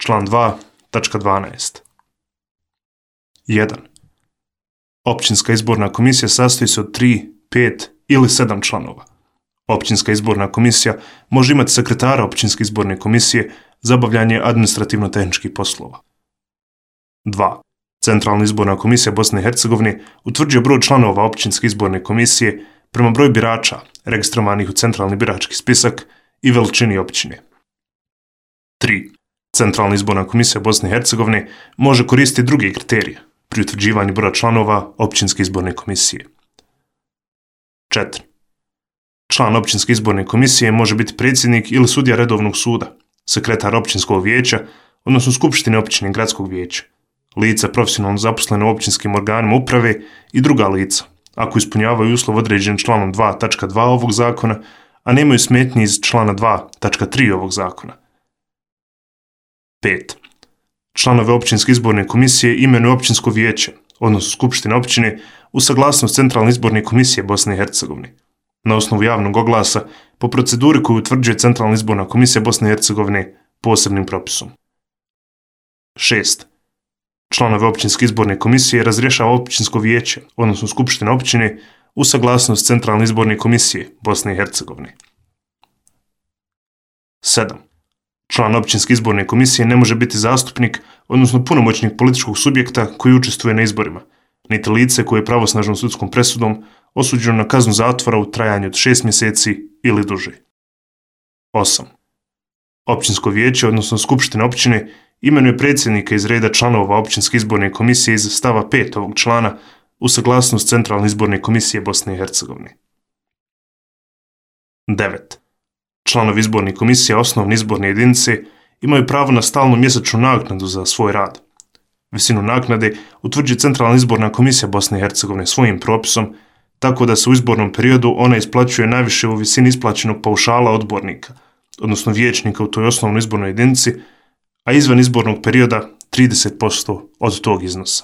Član 2.12. 1. Općinska izborna komisija sastoji se od 3, 5 ili 7 članova. Općinska izborna komisija može imati sekretara općinske izborne komisije za obavljanje administrativno-tehničkih poslova. 2. Centralna izborna komisija Bosne i Hercegovine utvrđuje broj članova općinske izborne komisije prema broju birača registrovanih u centralni birački spisak i veličini općine. 3. Centralna izborna komisija Bosne i Hercegovine može koristiti druge kriterije pri utvrđivanju broja članova općinske izborne komisije. 4. Član općinske izborne komisije može biti predsjednik ili sudija redovnog suda, sekretar općinskog vijeća, odnosno skupštine općine i gradskog vijeća, lica profesionalno zaposlene u općinskim organima uprave i druga lica, ako ispunjavaju uslov određen članom 2.2 ovog zakona, a nemaju smetnji iz člana 2.3 ovog zakona. 5. Članove općinske izborne komisije imenuje općinsko vijeće, odnosno skupština općine, uz saglasnost Centralne izborne komisije Bosne i Hercegovine, na osnovu javnog oglasa po proceduri koju utvrđuje Centralna izborna komisija Bosne i Hercegovine posebnim propisom. 6. Članove općinske izborne komisije razrješava općinsko vijeće, odnosno skupština općine, uz saglasnost Centralne izborne komisije Bosne i Hercegovine. 7. Član općinske izborne komisije ne može biti zastupnik, odnosno punomoćnik političkog subjekta koji učestvuje na izborima, niti lice koje je pravosnažnom sudskom presudom osuđeno na kaznu zatvora u trajanju od 6 mjeseci ili duže. 8. Općinsko vijeće, odnosno skupština općine, imenuje predsjednika iz reda članova općinske izborne komisije iz stava 5 ovog člana uz saglasnost Centralne izborne komisije Bosne i Hercegovine. 9. Članovi izborne komisije osnovne izborne jedinice imaju pravo na stalnu mjesečnu naknadu za svoj rad. Visinu naknade utvrđuje Centralna izborna komisija Bosne i Hercegovine svojim propisom, tako da se u izbornom periodu ona isplaćuje najviše u visini isplaćenog paušala odbornika, odnosno vijećnika u toj osnovnoj izbornoj jedinici, a izvan izbornog perioda 30% od tog iznosa.